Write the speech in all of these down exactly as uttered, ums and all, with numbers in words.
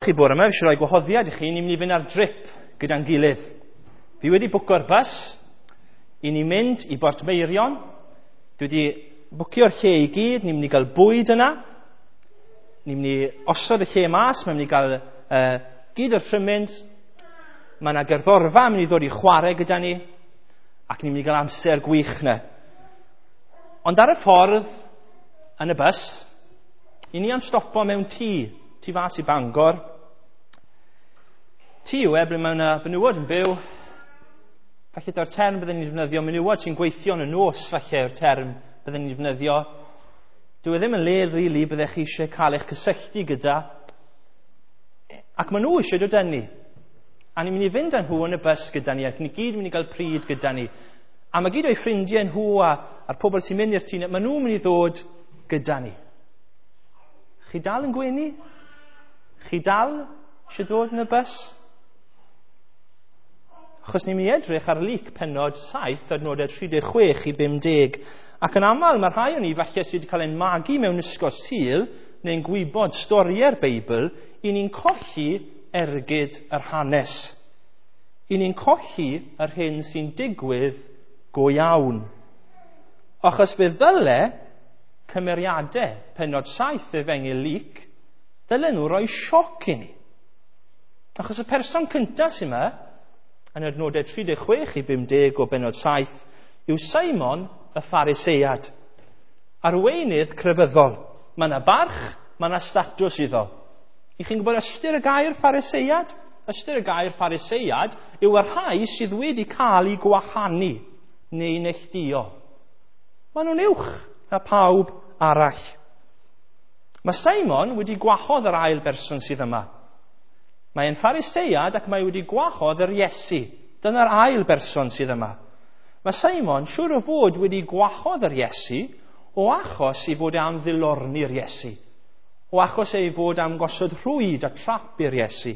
Chi bore yma, fi eisiau rhoi gwahoddiad i chi, ni'n mynd i fynd ar drip gyda'n gilydd. Fi wedi bwco'r bus, i ni mynd i Bortmeirion, dwi wedi bwcio'r lle i gyd, ni'n mynd i gael bwyd yna, ni'n mynd i osod y lle mas, mae'n mynd i gael uh, gyd o'r trimmings, mae yna gerddorfa yn mynd i ddod i chwarae gyda ni, ac ni'n mynd i gael amser gwych yna. Ond ar y ffordd, yn y bus, i ni am stopo mewn tŷ, tu fas i Bangor. Tŷ yw e ble mae yna fenywod yn byw. Falle dyna'r term byddwn ni'n defnyddio, menywod sy'n gweithio yn y nos, falle yw'r term byddwn ni'n defnyddio. Dyw e ddim yn le rili really, byddech chi eisiau cael eich cysylltu gyda. Ac maen nhw eisiau dod â ni. A ni'n mynd i fynd â nhw yn y bus gyda ni, ac ni gyd yn mynd i gael pryd gyda ni. A mae gyd o'i ffrindiau nhw a, a'r pobl sy'n mynd i'r tŷ, maen nhw'n mynd i ddod gyda ni. Chi dal yn gwenu? Chi dal eisiau dod yn y bus? Achos ni'n mynd i edrych ar Luc pennod saith, adnodau tri deg chwech i bum deg. Ac yn aml mae rhai o'n ni falle sydd wedi cael ein magu mewn ysgol Sul neu'n gwybod storiau'r Beibl, i ni'n colli ergyd yr hanes. I ni'n colli yr hyn sy'n digwydd go iawn. Achos fe ddyle cymeriadau pennod saith Efengyl Luc, ddylen nhw roi sioc i ni. Achos y person cyntaf sy'n yma, yn adnodau tri deg chwech i bum deg o bennod saith, yw Simon y Pharisead, arweinydd crefyddol. Mae yna barch, mae yna statws iddo. I chi'n gwybod ystyr y gair Pharisead? Ystyr y gair Pharisead yw y rhai sydd wedi cael eu gwahanu neu neilltuo. Maen nhw'n uwch na pawb arall. Mae Simon wedi gwahodd yr ail berson sydd yma. Mae e'n Pharisead ac mae wedi gwahodd yr Iesu. Dyna'r ail berson sydd yma. Mae Simon siŵr o fod wedi gwahodd yr Iesu o achos ei fod e am ddilorni'r Iesu. O achos ei fod am gosod rhwyd a trap i'r Iesu.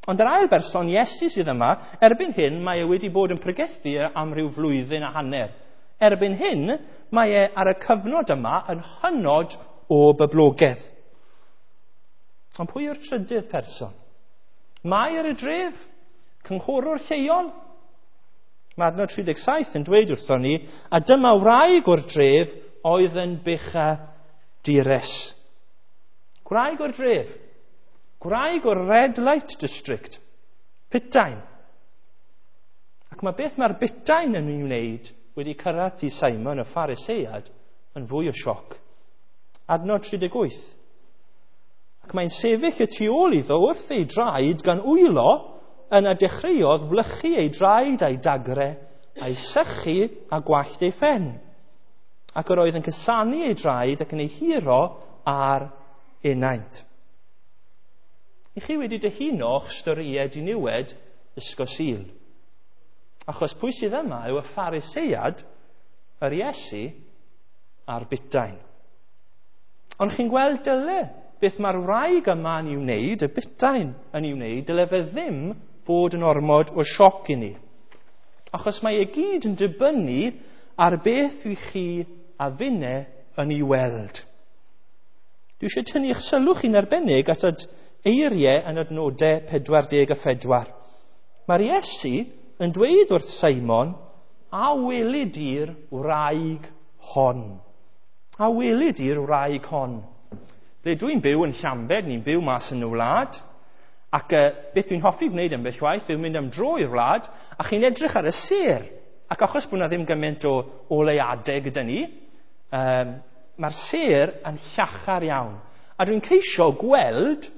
Ond yr ail berson, Iesu, sydd yma, erbyn hyn mae e wedi bod yn pregethu am ryw flwyddyn a hanner. Erbyn hyn, mae e ar y cyfnod yma yn hynod o boblogaidd. Ond pwy yw'r trydydd person? Mae ar y dref, cynghorwr lleol. Mae adnod tri deg saith yn dweud wrthon ni, a dyma wraig o'r dref oedd yn bechadures. Gwraig o'r dref, gwraig o'r Red Light District, putain. Ac mae beth mae'r butain yn ei wneud wedi cyrraedd i Simon y Pharisead yn fwy o sioc. Adnod tri deg wyth. Ac mae'n sefyll y tu ôl iddo wrth ei draed gan wylo, yna dechreuodd wlychu ei draed a'i dagre, a'i sychu a gwallt ei phen. Ac yr oedd yn cusanu ei draed ac yn ei huro ar enaint. I chi wedi dyhuno'ch storïau diniwed ysgol Sul. Achos pwy sydd yma yw y Pharisead, yr Iesu a'r butain. Ond chi'n gweld dyle beth mae'r wraig yma yn ei wneud, y butain yn ei wneud, dyle fe ddim fod yn ormod o sioc i ni. Achos mae e gyd yn dibynnu ar beth i chi a finne yn ei weld. Dwi eisiau tynnu eich sylw chi'n arbennig at y eiriau yn adnodau pedwar deg a phedwar. Mae'r Iesu yn dweud wrth Simon, a weli di'r wraig hon. A weli di'r wraig hon. Ble dwi'n byw yn Llambed, ni'n byw mas yn y wlad, ac uh, beth dwi'n hoffi gwneud ambell waith yw mynd am dro i'r wlad, a chi'n edrych ar y sêr. Ac achos bod yna ddim gymaint o oleuadau gyda ni, um, mae'r sêr yn llachar iawn. A dwi'n ceisio gweld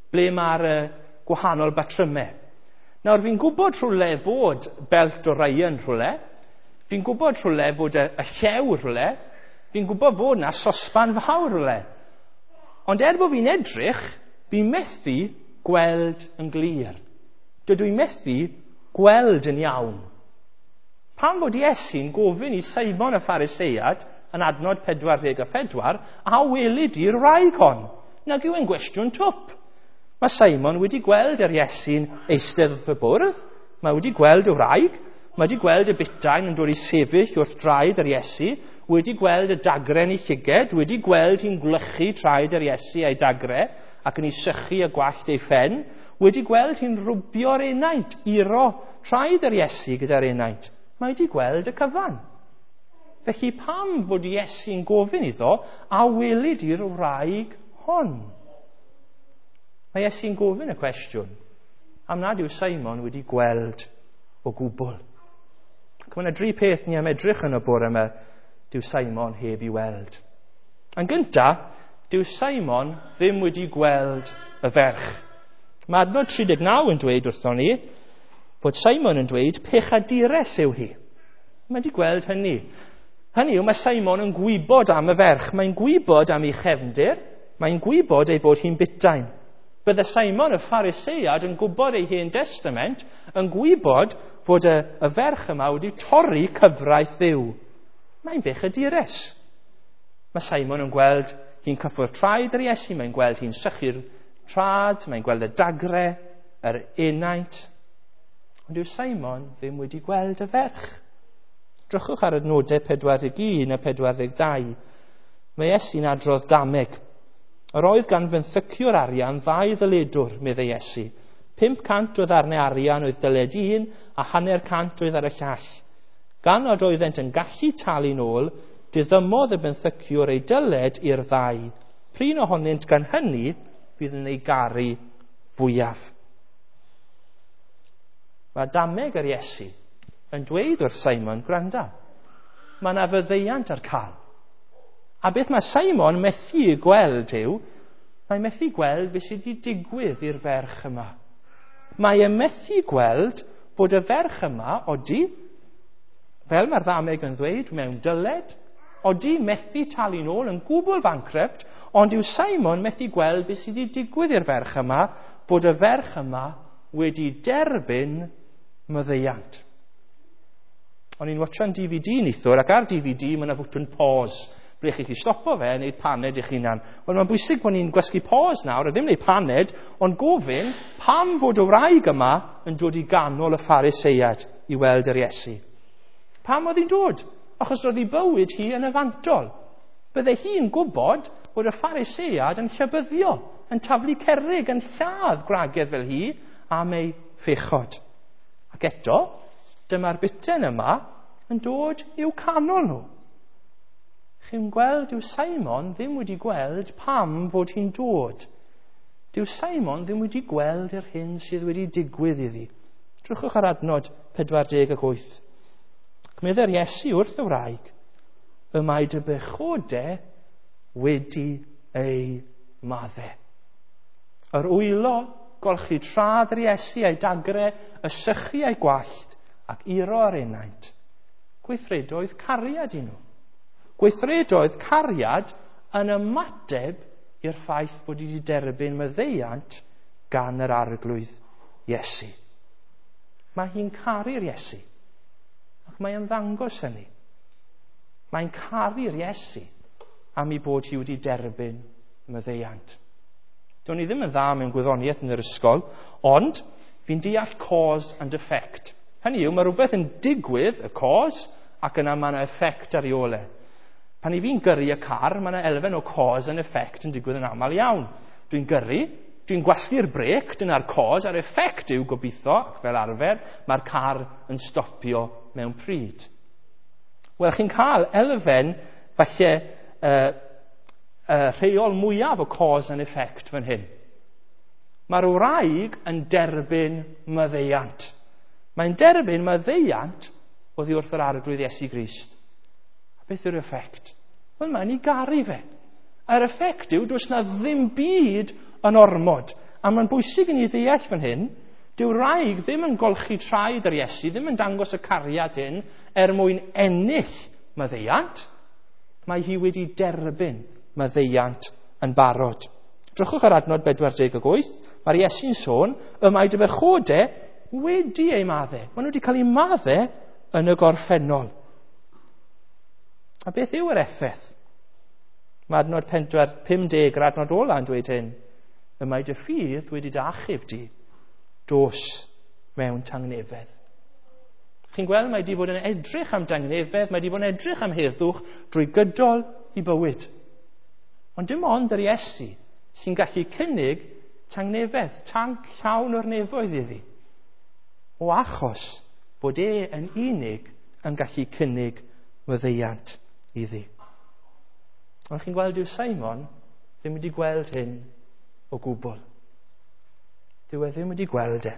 ble mae'r uh, gwahanol batrymau. Nawr, fi'n gwybod rhywle fod belt Orion rhywle, fi'n gwybod rhywle fod y, y llew rhywle, fi'n gwybod fod yna sosban fawr rhywle. Ond er bod fi'n edrych, fi'n methu gweld yn glir. Dydw i'n methu gweld yn iawn. Pam fod Iesu'n gofyn i Simon y Pharisead yn adnod pedwar deg a phedwar, a weli di'r wraig hon? Nag yw e'n gwestiwn twp. Mae Simon wedi gweld yr Iesu'n eistedd wrth y bwrdd, mae wedi gweld y wraig, Mae wedi gweld y butain yn dod i sefyll wrth draed yr Iesu, wedi gweld y dagren ei llyged, wedi gweld hi'n gwlychu traed yr Iesu a'i dagre ac yn ei sychu y gwallt ei phen, wedi gweld hi'n rwbio'r enaint, iro traed yr Iesu gyda'r enaint. Mae wedi gweld y cyfan. Felly pam fod Iesu'n gofyn iddo a welid i'r wraig hon? Mae Iesu'n gofyn y cwestiwn am nad yw Simon wedi gweld o gwbl. Ac mae yna dri peth ni am edrych yn y bore yma dyw Simon heb i weld. Yn gyntaf, dyw Simon ddim wedi gweld y ferch. Mae adnod tri deg naw yn dweud wrthon ni fod Simon yn dweud pechadures yw hi. Mae wedi gweld hynny. Hynny yw, mae Simon yn gwybod am y ferch. Mae'n gwybod am ei chefndir. Mae'n gwybod ei bod hi'n butain. Bydde Simon y Pharisead yn gwybod ei Hen Testament, yn gwybod fod y, y ferch yma wedi torri cyfraith Dduw. Mae'n bechadures. Mae Simon yn gweld hi'n cyffwrdd traed yr Iesu, mae'n gweld hi'n sychu'r trad, mae'n gweld y dagre, yr enaint. Ond yw Simon ddim wedi gweld y ferch. Drychwch ar adnodau pedwar deg un a pedwar deg dau. Mae Iesu'n adrodd dameg. Yr oedd gan fenthyciwr arian ddau ddyledwr, meddai Iesu. Pump cant o ddarnau arian oedd dyled un a hanner cant oedd ar y llall. Gan nad oeddent yn gallu talu'n ôl, diddymodd y benthyciwr ei dyled i'r ddau. Prin ohonynt gan hynny fydd yn ei garu fwyaf. Mae dameg yr Iesu yn dweud wrth Simon, gwranda, mae yna fyddeiant ar cael. A beth mae Simon methu gweld yw, mae methu gweld beth sydd wedi digwydd i'r ferch yma. Mae e methu gweld fod y ferch yma, odi, fel mae'r ddameg yn ddweud, mewn dyled, odi methu talu'n ôl yn gwbl bankrupt, ond yw Simon methu gweld beth sydd wedi digwydd i'r ferch yma, bod y ferch yma wedi derbyn maddeuant. O'n i'n watchan D V D neithiwr, ac ar D V D mae yna fwtwn pause, ble chi chi stopo fe a wneud paned eich hunan. Wel, mae'n bwysig bod ni'n gwasgu pause nawr, a ddim wneud paned, ond gofyn pam fod y wraig yma yn dod i ganol y Pharisead i weld yr Iesu. Pam oedd hi'n dod? Achos roedd ei bywyd hi yn y fantol. Bydde hi'n gwybod bod y Pharisead yn llybyddio, yn taflu cerrig, yn lladd gwragedd fel hi am ei phechod. Ac eto, dyma'r buten yma yn dod i'w canol nhw. Chi'n gweld, dyw Simon ddim wedi gweld pam fod hi'n dod. Dyw Simon ddim wedi gweld yr hyn sydd wedi digwydd iddi. Drychwch ar adnod pedwar deg ac wyth. Ac meddai'r Iesu wrth y wraig, y mae dy bechode wedi ei madde. Yr wylo, golchi traed yr Iesu a'i dagre, y sychu a'i gwallt, ac iro ar enaint. Gweithredoedd cariad i nhw. Gweithredoedd cariad yn ymateb i'r ffaith bod wedi derbyn maddeuant gan yr Arglwydd Iesu. Mae hi'n caru'r Iesu, ac mae yn ddangos hynny. Mae'n caru'r Iesu am ei bod hi wedi derbyn maddeuant. Do'n i ddim yn dda mewn gwyddoniaeth yn yr ysgol, ond fi'n deall cause and effect. Hynny yw, mae rhywbeth yn digwydd, y cause, ac yna mae yna effect ar ei ôl e. Pan i fi'n gyrru y car, mae yna elfen o cause and effect yn digwydd yn aml iawn. Dwi'n gyrru, dwi'n gwasgu'r brêc, dyna'r cause, a'r effect yw gobeithio, ac fel arfer, mae'r car yn stopio mewn pryd. Wel, chi'n cael elfen, falle, uh, uh, rheol mwyaf o cause and effect fan hyn. Mae'r wraig yn derbyn maddeuant. Mae'n derbyn maddeuant oddi wrth yr Arglwydd Iesu Grist. Beth yw'r effect? Wel, mae'n ei garu fe. A'r effect yw, does na ddim byd yn ormod. A mae'n bwysig i ni ddeall fan hyn, dyw'r wraig ddim yn golchi traed yr Iesu, ddim yn dangos y cariad hyn er mwyn ennill maddeuant. Mae hi wedi derbyn maddeuant yn barod. Drychwch ar adnod bedwar deg ac wyth, mae'r Iesu'n sôn, y mae dy bechode wedi ei madde. Maen nhw wedi cael eu madde yn y gorffennol. A beth yw yr effaith? Mae adnod pedwar pum deg yr adnod ola yn dweud hyn. Y mae dy ffydd wedi dy achub di, dos mewn tangnefedd. Chi'n gweld mae wedi bod yn edrych am dangnefedd, mae wedi bod yn edrych am heddwch drwy gydol i bywyd. Ond dim ond yr Iesu sy'n gallu cynnig tangnefedd, tanc llawn o'r nefoedd iddi. O achos bod e yn unig yn gallu cynnig maddeuant iddi. Ond chi'n gweld dyw Simon ddim wedi gweld hyn o gwbl. Dyw e ddim wedi gweld e.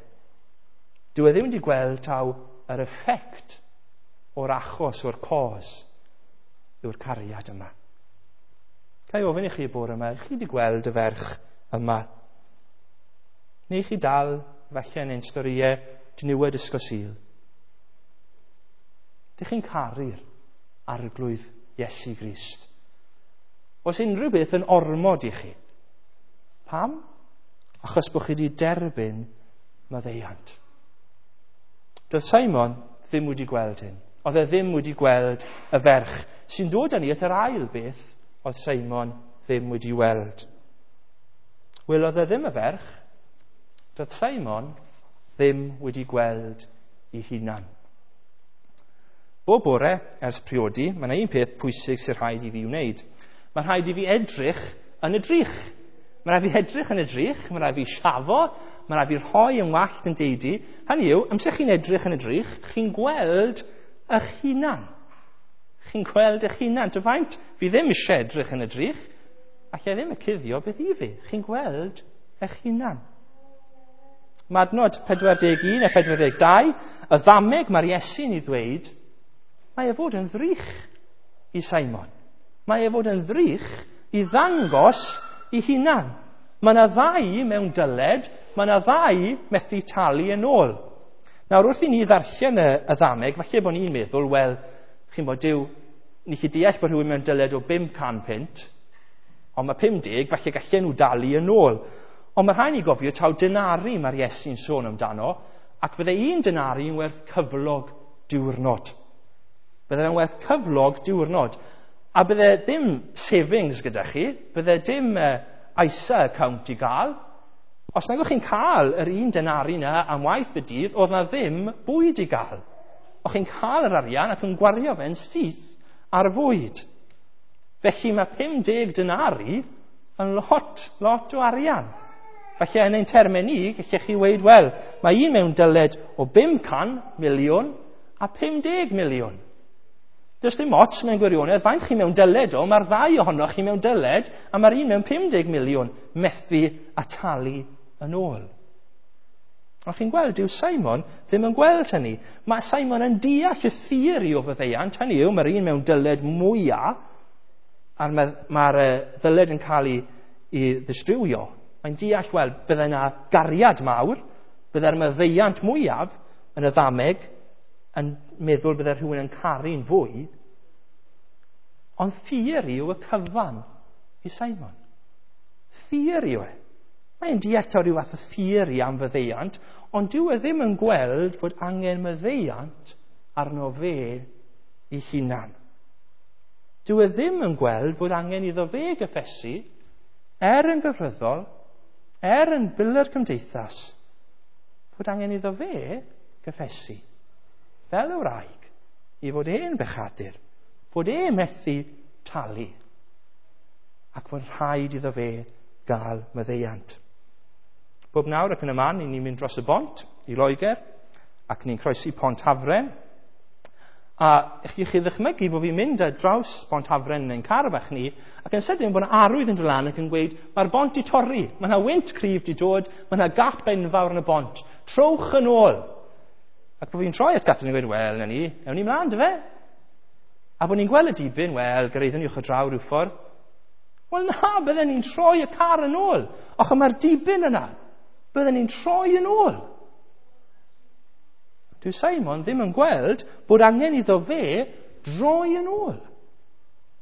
Dyw e ddim wedi gweld taw yr effect o'r achos, o'r cos, yw'r cariad yma. Ga i ofyn i chi bore yma, chi wedi gweld y ferch yma? Neu chi dal, falle yn ein storïau, diniwed Ysgol Sul? Dych chi'n caru'r Arglwydd Iesu Grist? Oes unrhyw beth yn ormod i chi? Pam? Achos bod chi wedi derbyn maddeuant. Doedd Simon ddim wedi gweld hyn. Oedd e ddim wedi gweld y ferch sy'n dod â ni at yr ail beth oedd Simon ddim wedi weld. Wel, oedd e ddim y ferch. Doedd Simon ddim wedi gweld ei hunan. Bob bore ers priodi, mae yna un peth pwysig sy'n rhaid i fi wneud. Mae rhaid i fi edrych yn y drych. Mae rhaid fi edrych yn y drych, mae rhaid fi siafo, mae rhaid fi rhoi yn wallt yn deidi. Hynny yw, amser chi'n edrych yn y drych, chi'n gweld eich hunan. Chi'n gweld eich hunan. Dy faint fi ddim eisiau edrych yn y drych, allai ddim y cuddio beth i fi. Chi'n gweld eich hunan. Mae adnod pedwar deg un a pedwar deg dau, y ddameg mae'r Iesu'n ei ddweud, mae e fod yn ddrych i Simon. Mae e fod yn ddrych i ddangos i hunan. Mae yna ddau mewn dyled, mae yna ddau methu talu yn ôl. Nawr, wrth i ni ddarllen y, y ddameg, falle bod ni'n meddwl, wel, chi'n bod, dyw, ni chi deall bod rhywun mewn dyled o bum can punt, ond mae pum deg, falle gallen nhw dalu yn ôl. Ond mae rhaid ni gofio taw denari mae'r Iesu'n sôn amdano, ac fydde un denari yn werth cyflog diwrnod. Bydde fe'n werth cyflog diwrnod. A bydde dim savings gyda chi, bydde dim uh, I S A account i gael. Os nag o'ch chi'n cael yr un denari na am waith y dydd, oedd na ddim bwyd i gael. O'ch chi'n cael yr arian ac yn gwario fe'n syth ar fwyd. Felly mae pum deg denari yn lot, lot o arian. Felly yn ein termau ni, gallech chi weud, wel, mae un mewn dyled o bum can miliwn a pum deg miliwn. Does dim ots mewn gwirionedd, faint chi mewn dyled o, mae'r ddau ohonoch chi mewn dyled, a mae'r un mewn pum deg miliwn methu a talu yn ôl. Ond chi'n gweld, dyw Simon ddim yn gweld hynny. Mae Simon yn deall y theori o faddeuant, hynny yw, mae'r un mewn dyled mwyaf, a mae'r ma ddyled yn cael ei, ei ddistrywio. Mae'n deall, wel, bydde yna gariad mawr, bydde'r maddeuant mwyaf yn y ddameg, yn meddwl bydde rhywun yn caru'n fwy, ond theori yw y cyfan i Simon. Theori yw e. Mae'n deall taw rhyw fath o theori am faddeuant, ond dyw e ddim yn gweld fod angen maddeuant arno fe ei hunan. Dyw e ddim yn gweld fod angen iddo fe gyffesu, er yn gyfryddol, er yn biler cymdeithas, fod angen iddo fe gyffesu, fel y wraig, i fod e'n bechadur, fod e methu talu, ac fod rhaid iddo fe gael maddeuant. Bob nawr ac yn y man, ni'n mynd dros y bont i Loegr, ac ni'n croesi Pont Hafren. A chi chi ddychmygu bod fi'n mynd ar draws Pont Hafren yn ein car bach ni, ac yn sydyn bod yna arwydd yn dod lan ac yn gweud, mae'r bont di torri, mae yna wynt cryf di dod, mae yna gap enfawr yn y bont, trowch yn ôl. Ac bod fi'n troi at Catherine yn gweud, wel, na ni, ewn ni mlaen, dy fe? A bod ni'n gweld y dibyn, wel, gyrraeddwn ni uwch y draw rhyw ffordd. Wel na, bydden ni'n troi y car yn ôl. Och, mae'r dibyn yna. Bydden ni'n troi yn ôl. Dyw Simon ddim yn gweld bod angen iddo fe droi yn ôl.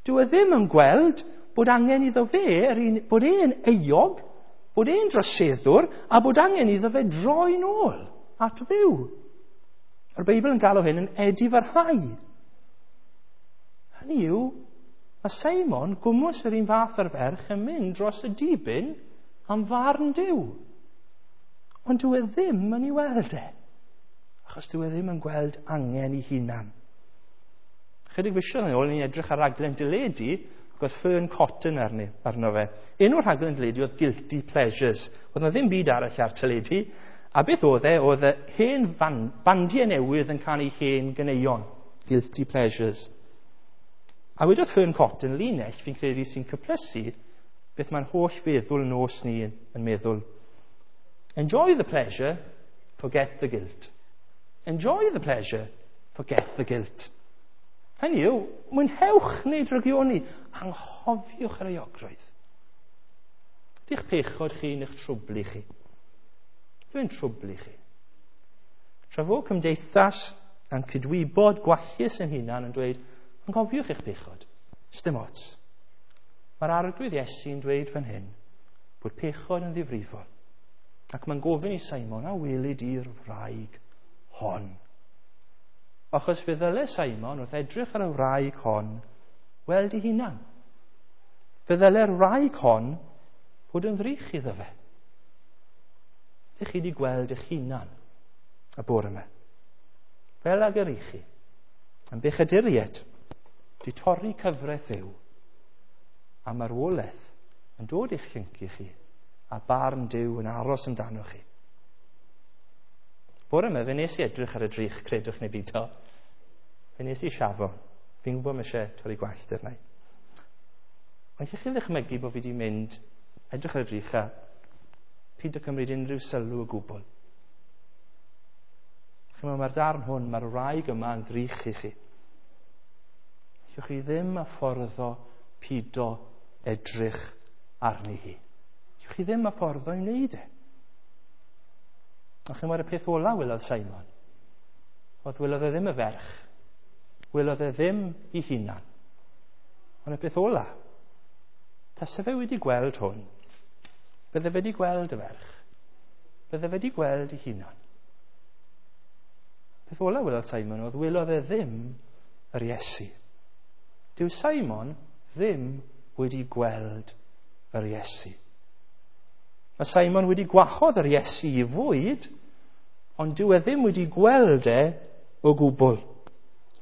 Dyw e ddim yn gweld bod angen iddo fe, yr un, bod e'n euog, bod e'n droseddwr, a bod angen iddo fe droi'n ôl at Dduw. Mae'r Beibl yn galw hyn yn edifarhau. Hynny yw, mae Simon, gwmws yr un fath â'r ferch, yn mynd dros y dibyn am farn Duw. Ond dyw e ddim yn ei weld e. Achos dyw e ddim yn gweld angen i hunan. Chydig fisoedd yn ôl, ni'n edrych ar raglen deledu, ac oedd Fearne Cotton arni, arno fe. Enw'r rhaglen deledu oedd Guilty Pleasures. Oedd na ddim byd arall ar teledu. A beth oedd e? Oedd e hen bandiau newydd yn canu hen ganeuon. Guilty Pleasures. A wedodd Fearne Cotton linell, fi'n credu sy'n cyplysu beth mae'n holl feddwl nos ni yn meddwl. Enjoy the pleasure, forget the guilt. Enjoy the pleasure, forget the guilt. Hynny yw, mwynhewch neu drygioni, anghofiwch yr euogrwydd. Di'ch pechod chi neu'ch trwblu chi. Dwi'n trwblu chi. Tra fo cymdeithas a'n cydwybod gwallus yn hunan yn dweud, anghofiwch eich pechod, sdim ots. Mae'r Arglwydd Iesu'n dweud fan hyn bod pechod yn ddifrifol. Ac mae'n gofyn i Simon, a weli di'r wraig hon? Achos fe ddyle Simon wrth edrych ar y wraig hon weld ei hunan. Fe ddyle'r wraig hon fod yn ddrych iddo fe. Dych chi wedi gweld eich hunan y bore yma. Fel ag yr i chi, yn bechaduriaid, di torri cyfraith Dduw, a marwolaeth yn dod i'ch llyncu chi, a barn Duw yn aros amdano chi. Bore yma, fe nes i edrych ar y drych, credwch neu beidio. Fe nes i siafo. Fi'n gwybod mae eisiau torri gwallt arna i. Ond allwch chi ddychmygu bod fi wedi mynd, edrych ar y drych a peidio cymryd unrhyw sylw o gwbl. Chi'n meddwl, mae'r darn hwn, mae'r wraig yma yn ddrych i chi. Allwch chi ddim a fforddo pido edrych arni hi. Allwch chi ddim a fforddo i wneud e. A chi'n meddwl, y peth ola welodd Simon, oedd welodd e ddim y ferch, welodd e ddim i hunan. Ond y peth ola, tase fe wedi gweld hwn, bydde fe wedi gweld y ferch, bydde fe wedi gweld ei hunan. Peth ola welodd Simon oedd welodd e ddim yr Iesu. Dyw Simon ddim wedi gweld yr Iesu. Mae Simon wedi gwahodd yr Iesu i fwyd, ond dyw e ddim wedi gweld e o gwbl.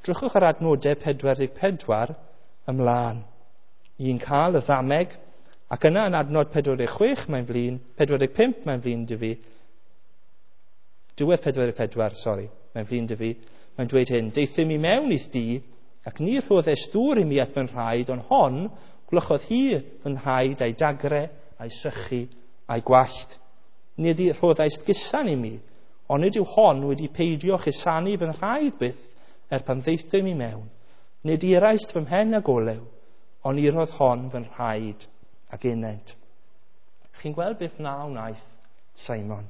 Drychwch ar adnodau pedwar deg pedwar ymlaen. I'n cael y ddameg, ac yna yn adnod pedwar deg chwech mae'n flin, pedwar deg pump mae'n flin dy fi, diwedd pedwar deg pedwar, sori, mae'n flin dy fi, mae'n dweud hyn, deuthum i mewn i'th dŷ, ac ni rhoddes dŵr i mi at fy nhraed, ond hon, gwlychodd hi fy nhraed a'i dagre, a'i sychu, a'i gwallt. Nid i rhoddaist gusan i mi, ond nid yw hon wedi peidio chusanu fy nhraed byth er pan ddeithum i mewn. Nid iraist fy mhen ag olew, ond irodd hon fy nhraed ag ened. Chi'n gweld beth na wnaeth Simon?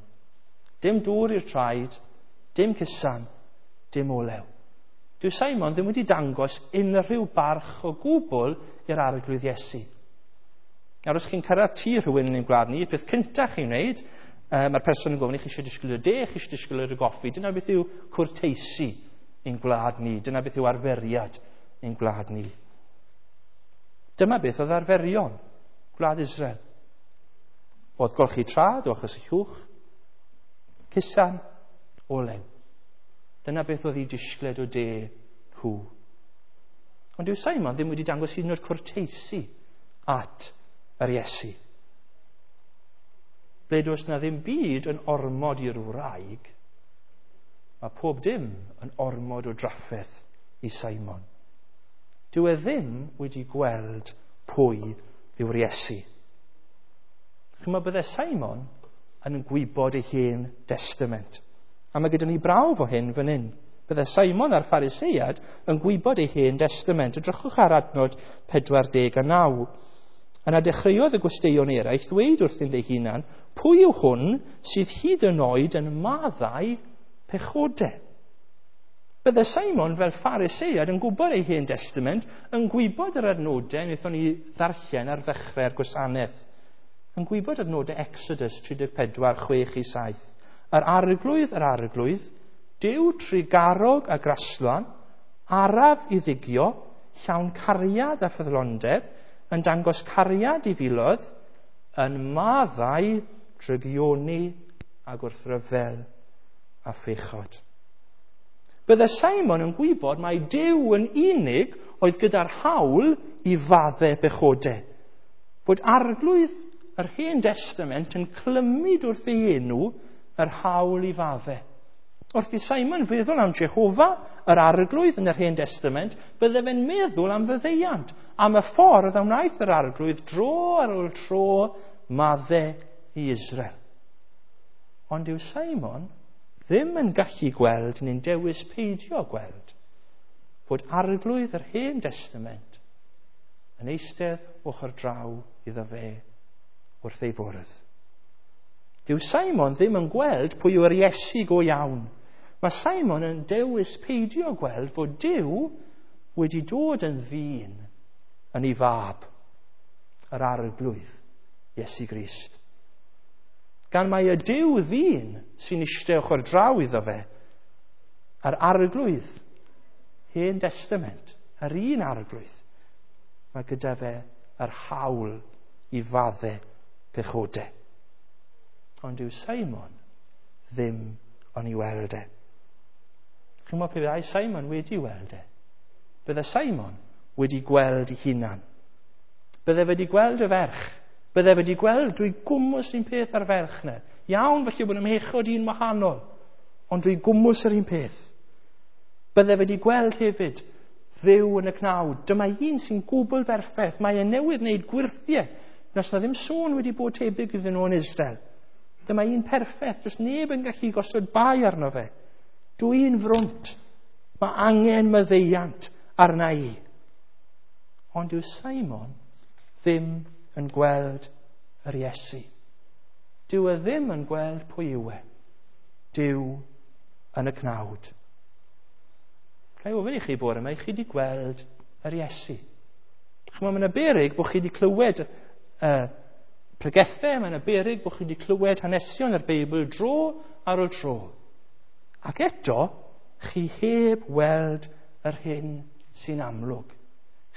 Dim dŵr i'r traed, dim cusan, dim olew. Dyw Simon ddim wedi dangos unrhyw barch o gwbl i'r Arglwydd Iesu. Nawr, os chi'n cyrraedd tŷ rhywun yn ein gwlad ni, y peth cyntaf chi'n wneud, uh, mae'r person yn gofyn i chi eisiau disgwyl y de, chi eisiau disgwyl y goffi. Dyna beth yw cwrteisi ein gwlad ni. Dyna beth yw arferiad ein gwlad ni. Dyma beth oedd arferion gwlad Israel. Oedd golchi trad o achos y llwch, cusan, olew. Dyna beth oedd ei disgled o de nhw. Ond dyw Simon ddim wedi dangos hyd yn oed cwrteisi at yr Iesu. Ble does na ddim byd yn ormod i'r wraig, mae pob dim yn ormod o drafferth i Simon. Dyw e ddim wedi gweld pwy yw'r Iesu. Chymod, bydde Simon yn gwybod ei hen testament. A mae gyda ni brawf o hyn fan hyn. Bydde Simon a'r Pharisead yn gwybod ei hen testament. Edrychwch ar adnod pedwar deg a naw. Yna dechreuodd y gwesteion eraill ddweud wrthynt eu hunan, pwy yw hwn sydd hyd yn oed yn maddau pechodau? Bydde Simon fel Pharisead yn gwybod ei hen testament, yn gwybod yr adnodau wnaethon ni ddarllen ar ddechrau'r gwasanaeth. Yn gwybod adnodau Exodus tri deg pedwar, chwech i saith. Yr arglwydd, yr arglwydd, Duw trugarog a graslon, araf i ddigio, llawn cariad a ffyddlondeb, yn dangos cariad i filoedd, yn maddau drygioni a gwrthryfel a phechod. Bydde Simon yn gwybod mai Duw yn unig oedd gyda'r hawl i fadde bechodau. Bod arglwydd yr Hen Testament yn clymu wrth ei enw yr hawl i fadde. Wrth i Simon feddwl am Jehofa, yr arglwydd yn yr Hen Testament, bydde fe'n meddwl am faddeuant, am y ffordd a wnaeth yr arglwydd dro ar ôl tro madde i Israel. Ond yw Simon ddim yn gallu gweld neu'n dewis peidio gweld fod arglwydd yr Hen Testament yn eistedd ochr draw iddo fe wrth ei fwrdd. Dyw Simon ddim yn gweld pwy yw'r Iesu go iawn. Mae Simon yn dewis peidio gweld fod Duw wedi dod yn ddyn yn ei fab, yr arglwydd, Iesu Grist. Gan mai y Duw ddyn sy'n eistedd ochr draw iddo fe, a'r arglwydd, Hen Testament, yr un arglwydd, mae gyda fe yr hawl i fadde pechodau. Ond dyw Simon ddim yn ei weld e. Chi'n gwybod pe bai Simon wedi weld e? Bydde Simon wedi gweld ei hunan. Bydde wedi gweld y ferch. Bydde wedi gweld drwy gwmws un peth ar ferch na. Iawn, felly bod ymhechod un wahanol, ond drwy gwmws yr un peth. Bydde wedi gweld hefyd Dduw yn y cnawd. Dyma un sy'n gwbl berffaith. Mae e newydd wneud gwyrthiau. Does na ddim sôn wedi bod tebyg iddyn nhw yn Israel. Dyma un perffaith. Does neb yn gallu gosod bai arno fe. Dwi'n frwnt. Mae angen maddeuant arna i. Ond yw Simon ddim yn gweld yr Iesu. Dyw e ddim yn gweld pwy yw e. Duw yn y cnawd. Ga i ofyn i chi bore yma, i chi wedi gweld yr Iesu. Chymod, mae yna beryg bod chi wedi clywed uh, pregethau, mae yna beryg bod chi wedi clywed hanesion yr Beibl dro ar ôl tro. Ac eto, chi heb weld yr hyn sy'n amlwg.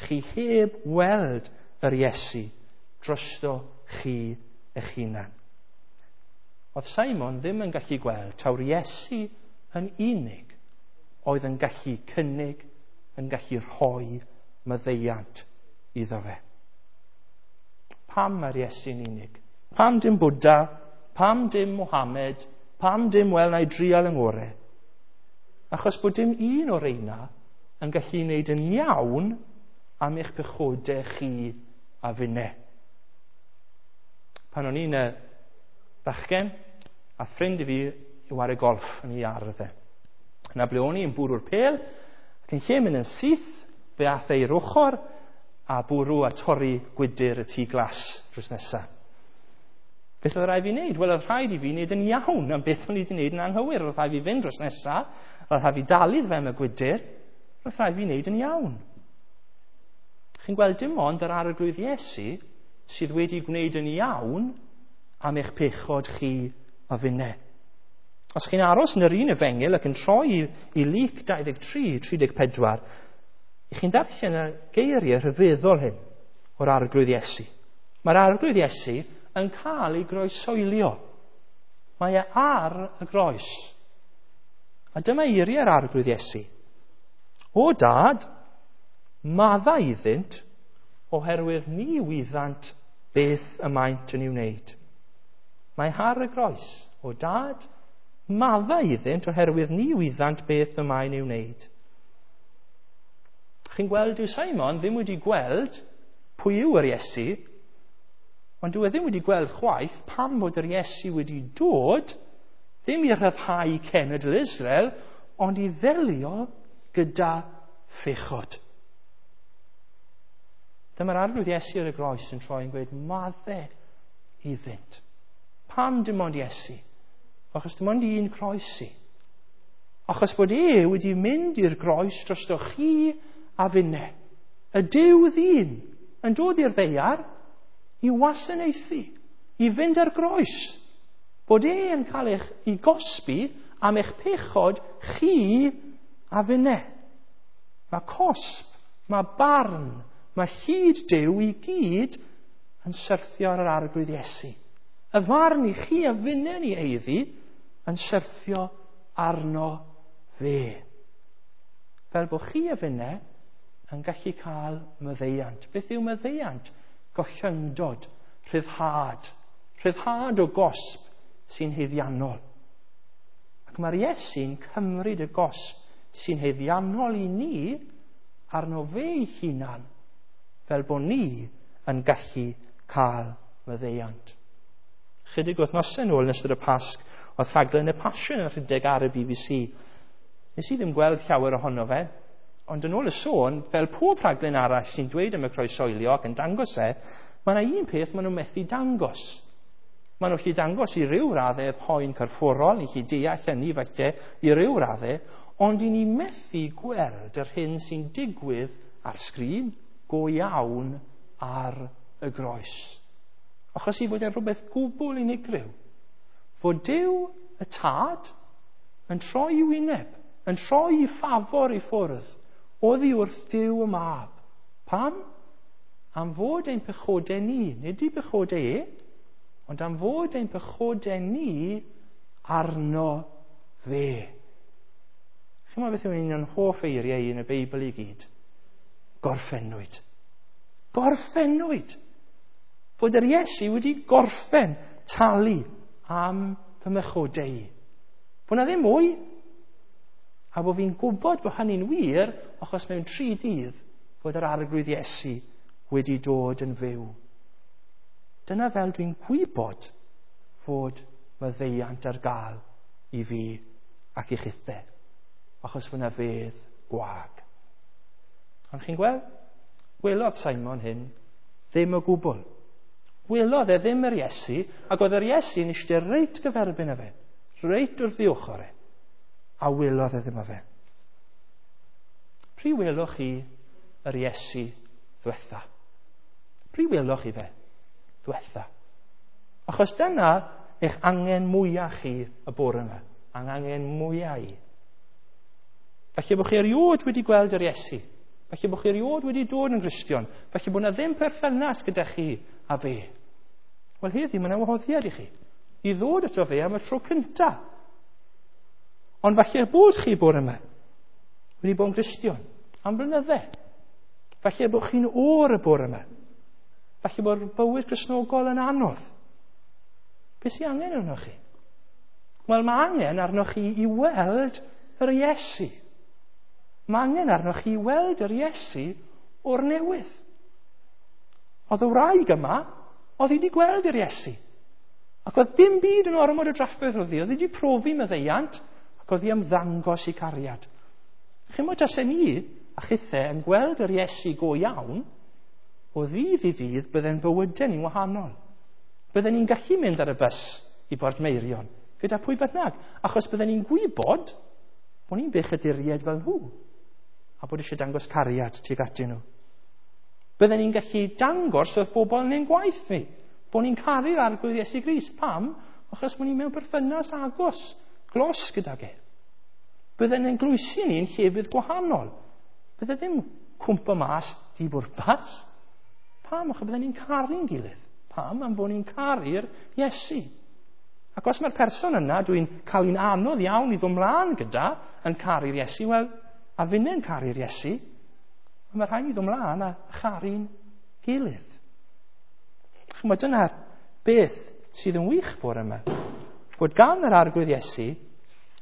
Chi heb weld yr Iesu drosto chi eich hunan. Oedd Simon ddim yn gallu gweld taw'r Iesu yn unig oedd yn gallu cynnig, yn gallu rhoi maddeuant iddo fe. Pam mae'r Iesu'n unig? Pam dim Buddha? Pam dim Mohammed? Pam dim wel na i drial yng ngore? Achos bod dim un o'r reina yn gallu wneud yn iawn am eich pechodau chi a finne. Pan o'n i'n bachgen, a ffrind i fi i ware golff yn ei ardd e. Yna ble o'n i'n bwrw'r pêl, ac yn lle mynd yn syth, fe ath e i'r ochr a bwrw a torri gwydyr y tŷ glas drws nesaf. Beth oedd rhaid fi wneud? Wel, oedd rhaid i fi wneud yn iawn am beth o'n i wedi wneud yn anghywir. Oedd rhaid fi fynd drws nesaf, oedd rhaid fi dalu fe am y gwydyr, oedd rhaid fi wneud yn iawn. Chi'n gweld dim ond yr arglwydd Iesu sydd wedi gwneud yn iawn am eich pechod chi a finne. Os chi'n aros yn yr un efengyl ac yn troi i, i Luc dau ddeg tri, tri deg pedwar, chi'n darllen y geiriau rhyfeddol hyn o'r arglwydd Iesu. Mae'r arglwydd Iesu yn cael ei groesoelio. Mae e ar y groes. A dyma eiriau'r arglwydd Iesu. O dad, madda iddynt, oherwydd ni wyddant beth y maent yn ei wneud. Mae ar y groes. O dad, madda iddynt, oherwydd ni wyddant beth y mae'n ei wneud. Chi'n gweld, dyw Simon ddim wedi gweld pwy yw yr Iesu, ond dyw e ddim wedi gweld chwaith pam fod yr Iesu wedi dod, ddim i rhyddhau cenedl Israel, ond i ddelio gyda phechod. Dyma'r arglwydd Iesu ar y groes yn troi yn gweud, madde iddynt. Pam dim ond Iesu? Achos dim ond un croes i. Achos bod e wedi mynd i'r groes drosto chi a finne. Y Duw ddyn yn dod i'r ddaear i wasanaethu, i fynd ar groes. Bod e yn cael eich i gosbi am eich pechod chi a finne. Mae cosb, mae barn, mae hyd Duw i gyd yn syrthio ar yr arglwydd Iesu. Y farn i chi a finne ni eiddi yn syrthio arno fe. Fel bod chi a finne yn gallu cael maddeuant. Beth yw maddeuant? Gollyngdod, rhyddhad. Rhyddhad o gosb sy'n haeddiannol. Ac mae'r Iesu'n cymryd y gosb sy'n haeddiannol i ni arno fe ei hunan, fel bod ni yn gallu cael maddeuant. Chydig wythnosau nôl yn ystod y Pasg, oedd rhaglen y Passion yn rhedeg ar y B B C. Nes i ddim gweld llawer ohono fe, ond yn ôl y sôn, fel pob rhaglen arall sy'n dweud am y croeshoelio ac yn dangos e, mae yna un peth maen nhw'n methu dangos. Maen nhw'n gallu dangos i ryw raddau poen corfforol, ni'n gallu deall hynny falle i ryw raddau, ond i ni methu gweld yr hyn sy'n digwydd ar sgrin go iawn ar y groes. Achos i fod e'n rhywbeth gwbl unigryw. Fod Duw y Tad yn troi i'w wyneb, yn troi i ffafor i ffwrdd, oddi wrth Duw y Mab. Pam? Am fod ein pechodau ni, nid i pechodau e, ond am fod ein pechodau ni arno fe. Chi'n meddwl beth yw un o'n hoff eiriau i yn y Beibl i gyd? Gorffennwyd. Gorffennwyd. Fod yr Iesu wedi gorffen talu am fy mhechodau i. Bod na ddim mwy. A bod fi'n gwybod bod hynny'n wir, achos mewn tri dydd fod yr Arglwydd Iesu wedi dod yn fyw. Dyna fel dwi'n gwybod fod maddeuant ar gael i fi ac i chithe, achos fod na fedd gwag. Ond chi'n gweld? Welodd Simon hyn ddim o gwbl. Welodd e ddim yr Iesu, ac oedd yr Iesu yn eistedd reit gyferbyn â fe, reit wrth ei ochr e, a welodd e ddim o fe. Pryd weloch chi yr Iesu ddwetha? Pryd weloch chi fe ddwetha? Achos dyna eich angen mwyaf chi y bore yma, a'n angen mwyaf i. Falle bod chi erioed wedi gweld yr Iesu. Falle bod chi erioed wedi dod yn Gristion. Falle bod na ddim perthynas gyda chi a fe. Wel, heddi mae yna wahoddiad i chi i ddod ato fe am y tro cyntaf. Ond falle bod chi bore yma wedi bod yn Gristion am blynydde. Falle bod chi'n oer y bore yma. Falle bod bywyd Cristnogol yn anodd. Beth sy'n angen arnoch chi? Wel, mae angen arnoch chi i weld yr Iesu. Mae angen arnoch chi i weld yr Iesu o'r newydd. Oedd y wraig yma, oedd hi wedi gweld yr Iesu. Ac oedd dim byd yn ormod o drafferth oedd hi. Oedd hi wedi profi maddeuant, ac oedd hi am ddangos i cariad. Chi'n meddwl tasen ni a chithe yn gweld yr Iesu go iawn, o ddydd i ddydd bydde'n bywydau ni'n wahanol. Bydden ni'n gallu mynd ar y bws i Bortmeirion gyda pwy bynnag, achos bydden ni'n gwybod bod ni'n bechaduriaid fel nhw, a bod eisiau dangos cariad tuag atyn nhw. Bydden ni'n gallu dangos wrth bobl yn ein gwaith ni, bod ni'n caru'r Arglwydd Iesu Grist. Pam? Achos bod ni mewn perthynas agos, glos gydag e. Bydden ni'n glwysi ni'n llefydd gwahanol. Bydde ddim cwmpo mas di bwrpas. Pam? Achos bydden ni'n caru'n gilydd. Pam? Am fod ni'n caru'r Iesu. Ac os mae'r person yna dwi'n cael un anodd iawn i ddod mlaen gyda yn caru'r Iesu, wel, a finne'n caru'r Iesu, mae rhaid i ddod mlaen a charu'n gilydd. Chimod, dyna'r beth sydd yn wych bore yma. Bod gan yr Arglwydd Iesu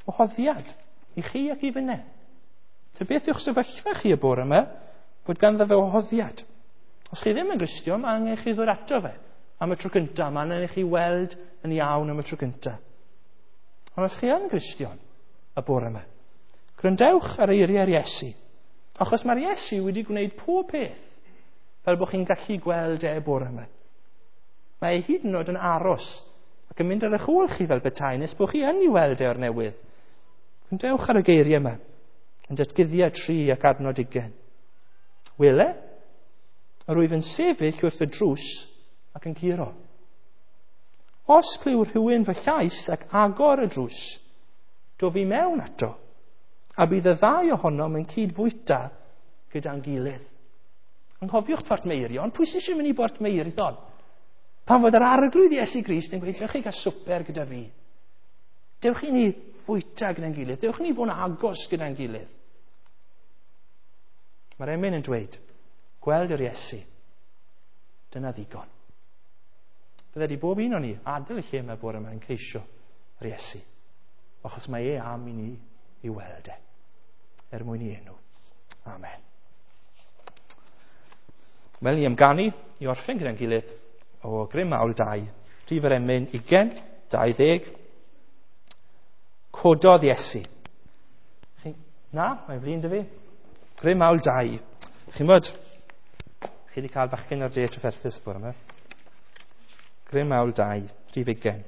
wahoddiad i chi ac i finne. Ta beth yw'ch sefyllfa chi y bore yma, fod ganddo fe wahoddiad. Os chi ddim yn Gristion, mae angen chi ddod ato fe am y tro cyntaf. Mae angen i chi weld yn iawn am y tro cyntaf. Ond os chi yn Gristion y bore yma, gwrandewch ar eiriau'r Iesu. Achos mae'r Iesu wedi gwneud pob peth fel bod chi'n gallu gweld e y bore yma. Mae e hyd yn oed yn aros ac yn mynd ar eich ôl chi fel petai nes bod chi yn ei weld e o'r newydd. Gwrandewch ar y geiriau yma yn Datguddiad tri ac adnod ugain. Wele, yr wyf yn sefyll wrth y drws ac yn curo. Os clyw rhywun fy llais ac agor y drws, do fi mewn ato, a bydd y ddau ohonom yn cydfwyta gyda'n gilydd. Anghofiwch Portmeirion, pwy sy'n eisiau mynd i Bortmeirion? Pan fod yr Arglwydd Iesu Grist yn gweud, dewch chi gael swper gyda fi. Dewch i ni fwyta gyda'n gilydd, dewch i ni fod yn agos gyda'n gilydd. Mae'r emyn yn dweud, gweld yr Iesu, dyna ddigon. Bydde di bob un o'n ni adael y lle yma bore yma yn ceisio yr Iesu. Achos mae e am i ni i weld e, er mwyn i enw. Amen. Wel, ni am ganu i orffen gyda'n gilydd o Grym Mawl dau, rhif yr emyn ugain, dau ddeg. Cododd Iesu. Chi, na, mae'n flin dy fi. Grym Mawl dau. Chi'n bod, chi wedi cael bachgen o'r de trafferthus bore yma. Grym Mawl dau, rhif ugain.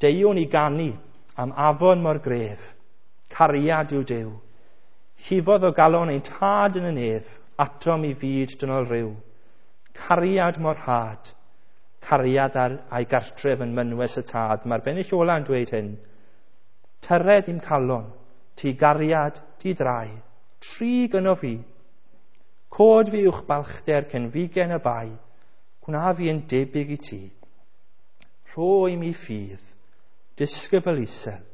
Deuwn i ganu am afon mor gref, cariad yw Duw. Llifodd o galon ein tad yn y nef, atom i fyd dynol ryw. Cariad mor rhad, cariad ar a'i gartref yn mynwes y tad. Mae'r bennill ola yn dweud hyn. Tyred i'm calon, ti gariad, ti drai, tri gyno fi. Cod fi uwch balchder cenfigen y bai, gwna fi yn debyg i ti. Rho i mi ffydd, disgybl isel,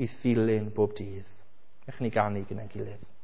i ddilyn bob dydd. Ewch ni ganu gyda'n gilydd.